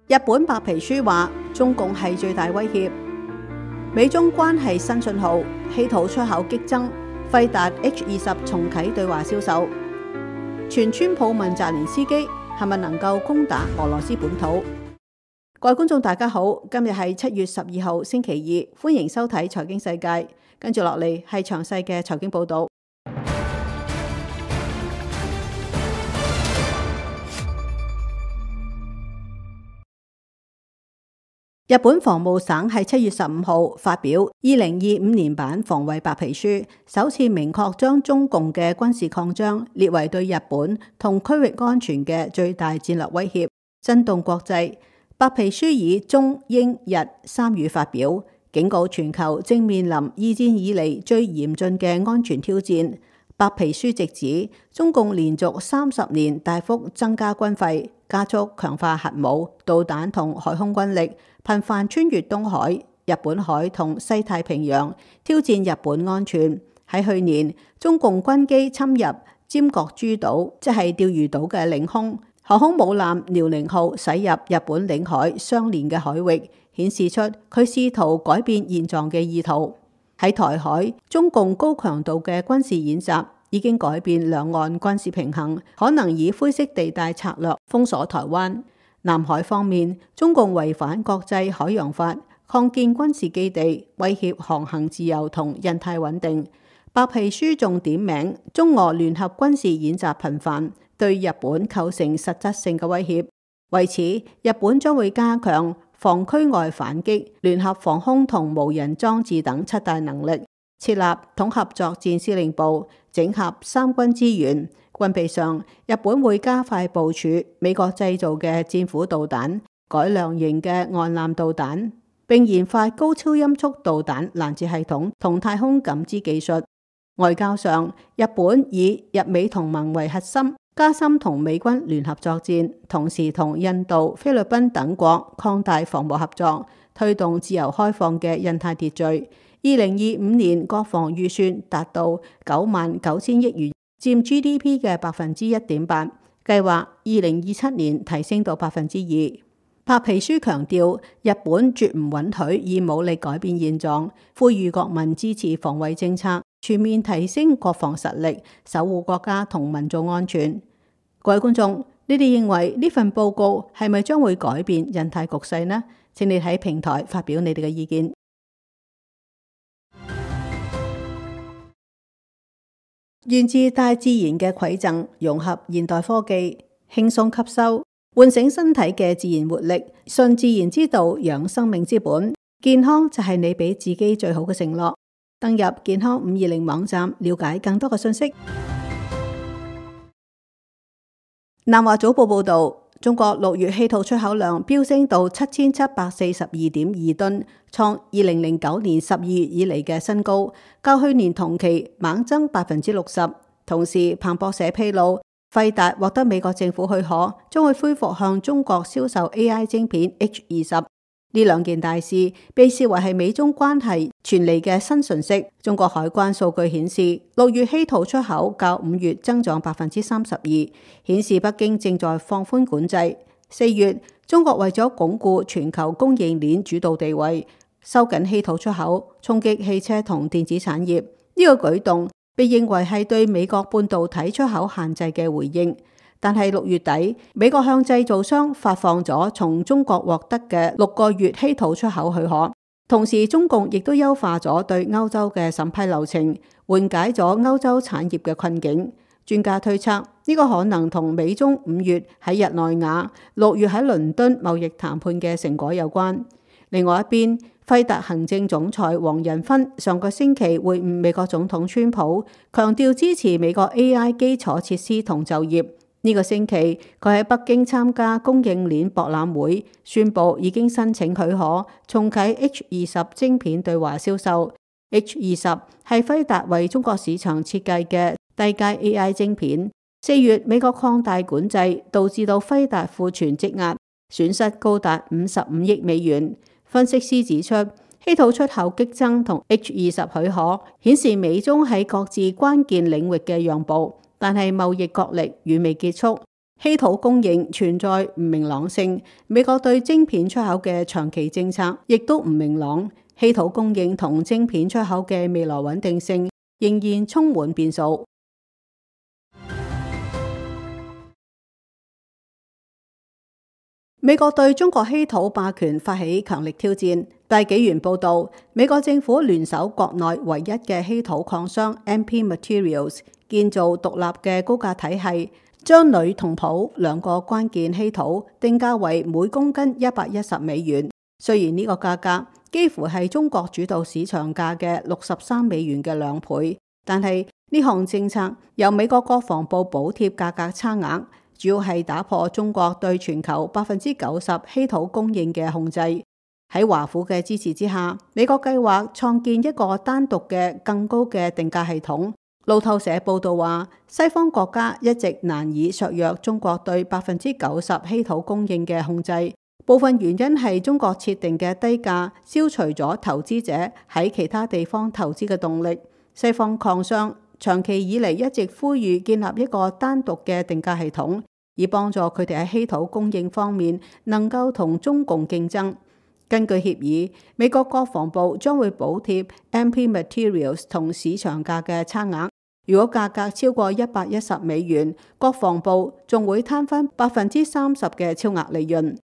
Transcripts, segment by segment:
日本白皮書話中共係最大威脅，美中關係新信號，稀土出口激增，輝達 H20重啟對華銷售。全川普問澤連斯基係咪能夠攻打俄羅斯本土？各位觀眾大家好，今日係7月12號星期二，歡迎收睇財經世界。跟住落嚟係詳細嘅財經報道。日本防務省喺7月15號發表2025年版防衛白皮書，首次明確將中共嘅軍事擴張列為對日本同區域安全嘅最大戰略威脅，震動國際。白皮書以中英日三語發表，警告全球正面臨二戰以嚟最嚴峻嘅安全挑戰。白皮書直指中共連續30年大幅增加軍費，加速強化核武、導彈同海空軍力，頻繁穿越東海、日本海同西太平洋，挑戰日本安全。喺去年，中共軍機侵入尖閣諸島，即係釣魚島嘅領空，航空母艦遼寧號駛入日本領海相連嘅海域，顯示出佢試圖改變現狀嘅意圖。喺台海，中共高強度嘅軍事演習已經改變兩岸軍事平衡，可能以灰色地帶策略封鎖台灣。南海方面，中共違反國際海洋法，擴建軍事基地，威脅航行自由同印太穩定。白皮書仲點名中俄聯合軍事演習頻繁，對日本構成實質性嘅威脅。為此，日本將會加強防區外反擊、聯合防空同無人裝置等7大能力，設立統合作戰司令部，整合三軍資源。軍備上，日本會加快部署美國製造嘅戰斧導彈、改良型嘅岸艦導彈，並研發高超音速導彈攔截系統同太空感知技術。外交上，日本以日美同盟為核心，加深同美軍聯合作戰，同時同印度、菲律賓等國擴大防務合作，推動自由開放嘅印太秩序。2025年國防預算達到99000億元，佔 GDP 嘅1.8%，計劃2027年提升到2%。白皮書強調，日本絕唔允許以武力改變現狀，呼籲國民支持防衛政策，全面提升國防實力，守護國家同民眾安全。各位觀眾，你哋認為呢份報告係咪將會改變印太局勢呢？請你喺平台發表你哋嘅意見。源自大自然嘅饋贈，融合現代科技，輕鬆吸收，喚醒身體嘅自然活力，順自然之道，養生命之本。健康就係你俾自己最好嘅承諾。登入健康520網站，了解更多嘅信息。南華早報報道，中國6月稀土出口量飆升到7742.2噸，創2009年12月以嚟嘅新高，較去年同期猛增60%。同時，彭博社披露，輝達獲得美國政府許可，將會恢復向中國銷售 AI 晶片 H20。呢兩件大事被視為係美中關係傳嚟嘅新訊息。中國海關數據顯示，6月稀土出口較5月增長32%，顯示北京正在放寬管制。4月，中國為咗鞏固全球供應鏈主導地位，收緊稀土出口，衝擊汽車同電子產業。呢個舉動被認為係對美國半導體出口限制嘅回應。但係6月底，美國向製造商發放咗從中國獲得嘅6個月稀土出口許可，同時中共亦都優化咗對歐洲嘅審批流程，緩解咗歐洲產業嘅困境。專家推測，呢個可能同美中5月喺日內瓦、6月喺倫敦貿易談判嘅成果有關。另外一邊，輝達行政總裁黃仁勳上個星期會晤美國總統川普，強調支持美國 AI 基礎設施同就業。呢個星期，佢喺北京參加供應鏈博覽會，宣布已經申請許可，重啟 H20 晶片對華銷售。H20 係輝達為中國市場設計嘅低階 AI 晶片。4月，美國擴大管制，導致到輝達庫存積壓，損失高達55億美元。分析師指出，稀土出口激增同 H20 許可，顯示美中喺各自關鍵領域嘅讓步。但係貿易角力遠未結束，稀土供應存在唔明朗性，美國對晶片出口嘅長期政策亦都唔明朗，稀土供應同晶片出口嘅未來穩定性仍然充滿變數。美國對中國稀土霸權發起強力挑戰。大紀元報導，美國政府聯手國內唯一嘅稀土礦商 MP Materials 建造獨立嘅高價體系，將鋁同鈷兩個關鍵稀土定價為每公斤$110。雖然呢個價格幾乎係中國主導市場價嘅$63嘅2倍，但係呢項政策由美國國防部補貼價格差額，主要係打破中國對全球90%稀土供應嘅控制。喺華府嘅支持之下，美國計劃創建一個單獨嘅更高嘅定價系統。路透社報道話，西方國家一直難以削弱中國對90%稀土供應嘅控制，部分原因係中國設定嘅低價消除咗投資者喺其他地方投資嘅動力。西方礦商長期以嚟一直呼籲建立一個單獨嘅定價系統，以幫助佢哋喺稀土供應方面能夠同中共競爭。根據協議，美國國防部將會補貼 MP Materials 同市場價嘅差額。如果價格超過$110，國防部仲會攤分30%嘅超額利潤。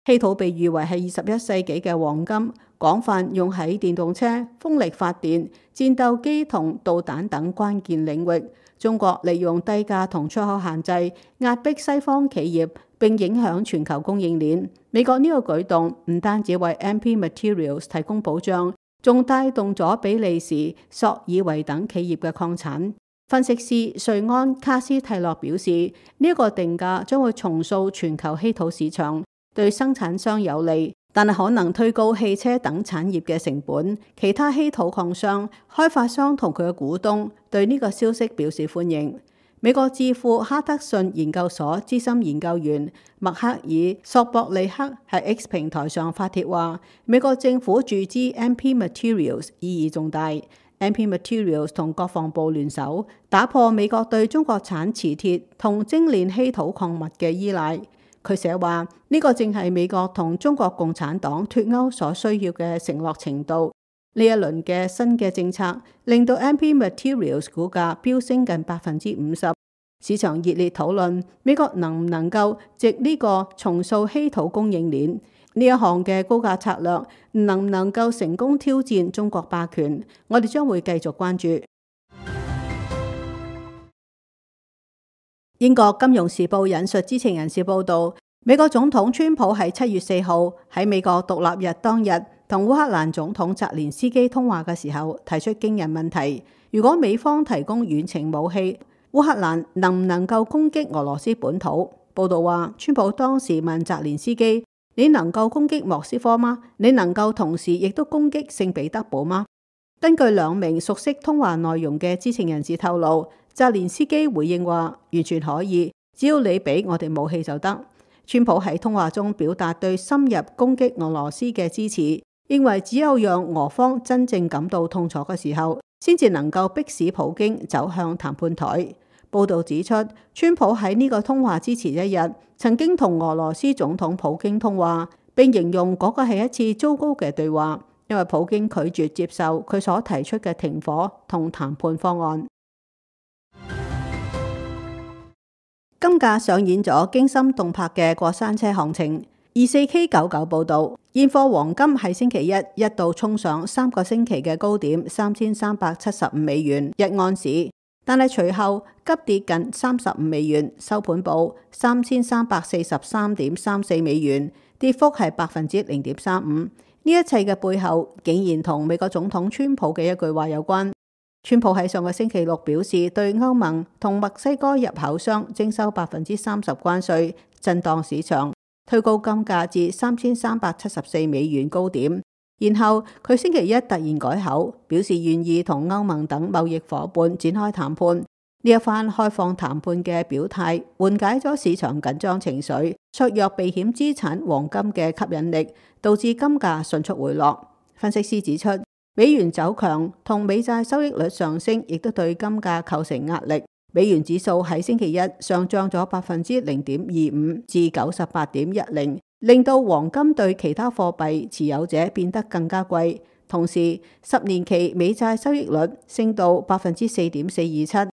稀土被譽為係21世紀嘅黃金，廣泛用喺電動車、風力發電、戰鬥機同導彈等關鍵領域。中國利用低價同出口限制壓迫西方企業，並影響全球供應鏈。美國呢個舉動唔單止為 MP Materials 提供保障，仲帶動咗比利時、索爾維等企業嘅礦產。分析師瑞安卡斯蒂洛表示，呢個定價將會重塑全球稀土市場，對生產商有利，但係可能推高汽車等產業嘅成本。其他稀土礦商、開發商同佢嘅股東對呢個消息表示歡迎。美國智庫哈德遜研究所資深研究員麥克爾索博利克喺 X 平台上發帖話，美國政府注資 MP Materials 意義重大。MP Materials 同國防部聯手，打破美國對中國產磁鐵同精煉稀土礦物嘅依賴。佢寫話，呢個正係美國同中國共產黨脫鈎所需要嘅承諾程度。呢一輪嘅新嘅政策令到 MP Materials 股價飆升近50%，市場熱烈討論美國能唔能夠藉呢個重塑稀土供應鏈。呢一項嘅高價策略能唔能夠成功挑戰中國霸權？我哋將會繼續關注。英國金融時報引述知情人士報道，美國總統川普喺7月4號喺美國獨立日當日同烏克蘭總統澤連斯基通話嘅時候，提出驚人問題：如果美方提供遠程武器，烏克蘭能唔能夠攻擊俄羅斯本土？報道話，川普當時問澤連斯基：你能夠攻擊莫斯科嗎？你能夠同時亦都攻擊聖彼得堡嗎？根據兩名熟悉通話內容嘅知情人士透露，澤連斯基回應話，完全可以，只要你俾我哋武器就得。川普喺通話中表達對深入攻擊俄羅斯嘅支持，認為只有讓俄方真正感到痛楚嘅時候，先至能夠迫使普京走向談判台。報導指出，川普喺呢個通話之前一日曾經同俄羅斯總統普京通話，並形容嗰個係一次糟糕嘅對話，因為普京拒絕接受佢所提出嘅停火同談判方案。金價上演咗驚心動魄嘅過山車行情。24K99 報導，現貨黃金喺星期一度衝上3個星期嘅高點$3375一盎司，但係隨後急跌近$35，收盤報$3343.34，跌幅係0.35%。呢一切嘅背後，竟然同美國總統川普嘅一句話有關。川普喺上個星期六表示，對歐盟同墨西哥入口商徵收30%關稅，震盪市場，推高金價至$3374高點。然後佢星期一突然改口，表示願意同歐盟等貿易夥伴展開談判。呢一番開放談判嘅表態，緩解咗市場緊張情緒，削弱避險資產黃金嘅吸引力，導致金價迅速回落。分析師指出，美元走強同美債收益率上升，亦都對金價構成壓力。美元指數喺星期一上漲咗0.25%至98.10，令到黃金對其他貨幣持有者變得更加貴。同時，10年期美債收益率升到4.427%。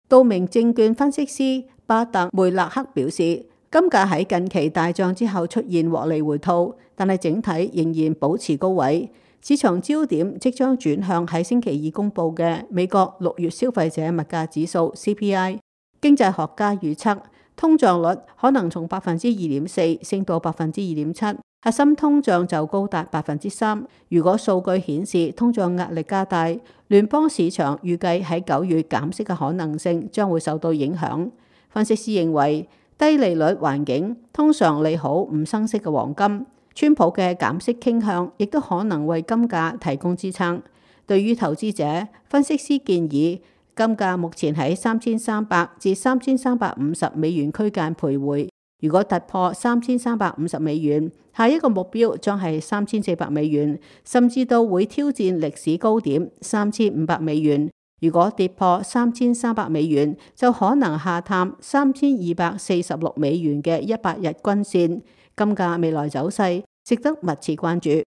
道明證券分析師巴特梅勒克表示，金價喺近期大漲之後出現獲利回吐，但係整體仍然保持高位。市場焦點即將轉向喺星期二公佈嘅美國6月消費者物價指數 CPI。經濟學家預測，通脹率可能從2.4%升到2.7%，核心通脹就高達3%。如果數據顯示通脹壓力加大，聯邦市場預計喺9月減息嘅可能性將會受到影響。分析師認為，低利率環境通常利好唔生息嘅黃金。川普嘅減息傾向亦都可能為金價提供支撐。對於投資者，分析師建議金價目前喺3300至3350美元區間徘徊。如果突破3350美元，下一個目標將係3400美元，甚至到會挑戰歷史高點3500美元。如果跌破3300美元，就可能下探3246美元嘅100日均線。金價未來走勢值得密切關注。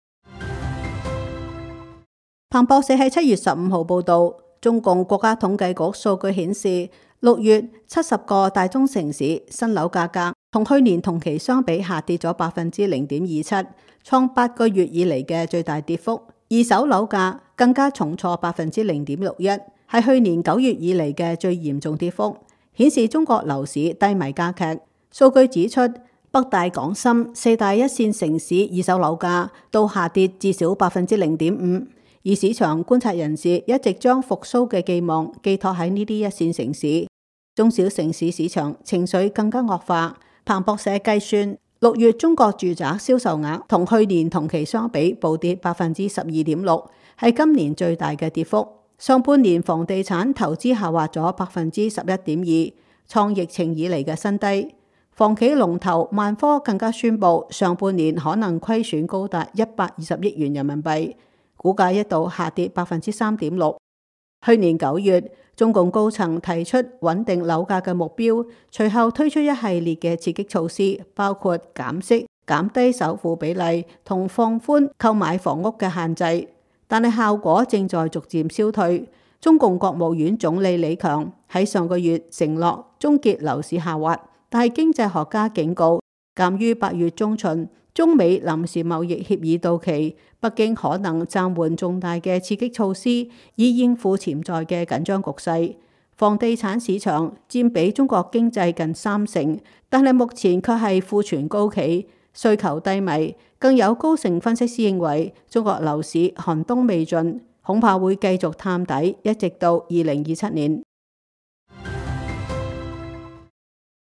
彭博社喺7月15號報道，中共國家統計局數據顯示，6月70個大中城市新樓價格同去年同期相比下跌咗0.27%，創8個月以嚟嘅最大跌幅。二手樓價更加重挫0.61%，係去年9月以嚟嘅最嚴重跌幅，顯示中國樓市低迷加劇。數據指出，北大港深4大一線城市二手樓價都下跌至少0.5%，而市場觀察人士一直將復甦嘅寄望寄託喺呢啲一線城市，中小城市市場情緒更加惡化。彭博社計算，6月中國住宅銷售額同去年同期相比暴跌12.6%，係今年最大嘅跌幅。上半年房地產投資下滑咗11.2%，創疫情以嚟嘅新低。房企龍頭萬科更加宣布，上半年可能虧損高達120億元人民幣，股價一度下跌3.6%。去年9月，中共高層提出穩定樓價嘅目標，隨後推出一系列嘅刺激措施，包括減息、減低首付比例同放寬購買房屋嘅限制，但係效果正在逐漸消退。中共國務院總理李強喺上個月承諾終結樓市下滑。但係經濟學家警告，鑑於8月中旬中美臨時貿易協議到期，北京可能暫緩重大嘅刺激措施，以應付潛在嘅緊張局勢。房地產市場佔比中國經濟近30%，但係目前卻係庫存高企，需求低迷。更有高盛分析師認為，中國樓市寒冬未盡，恐怕會繼續探底，一直到2027年。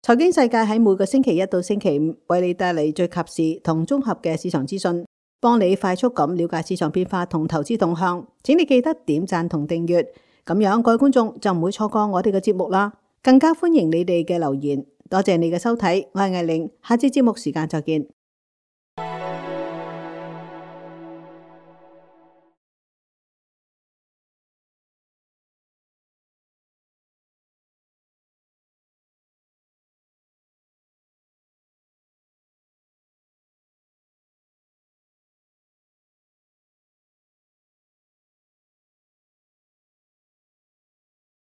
財經世界喺每個星期一到星期五為你帶嚟最及時同綜合嘅市場資訊，幫你快速咁了解市場變化同投資動向。請你記得點讚同訂閱，咁樣各位觀眾就唔會錯過我哋嘅節目啦。更加歡迎你哋嘅留言。多謝你嘅收睇，我係艾玲，下次節目時間再見。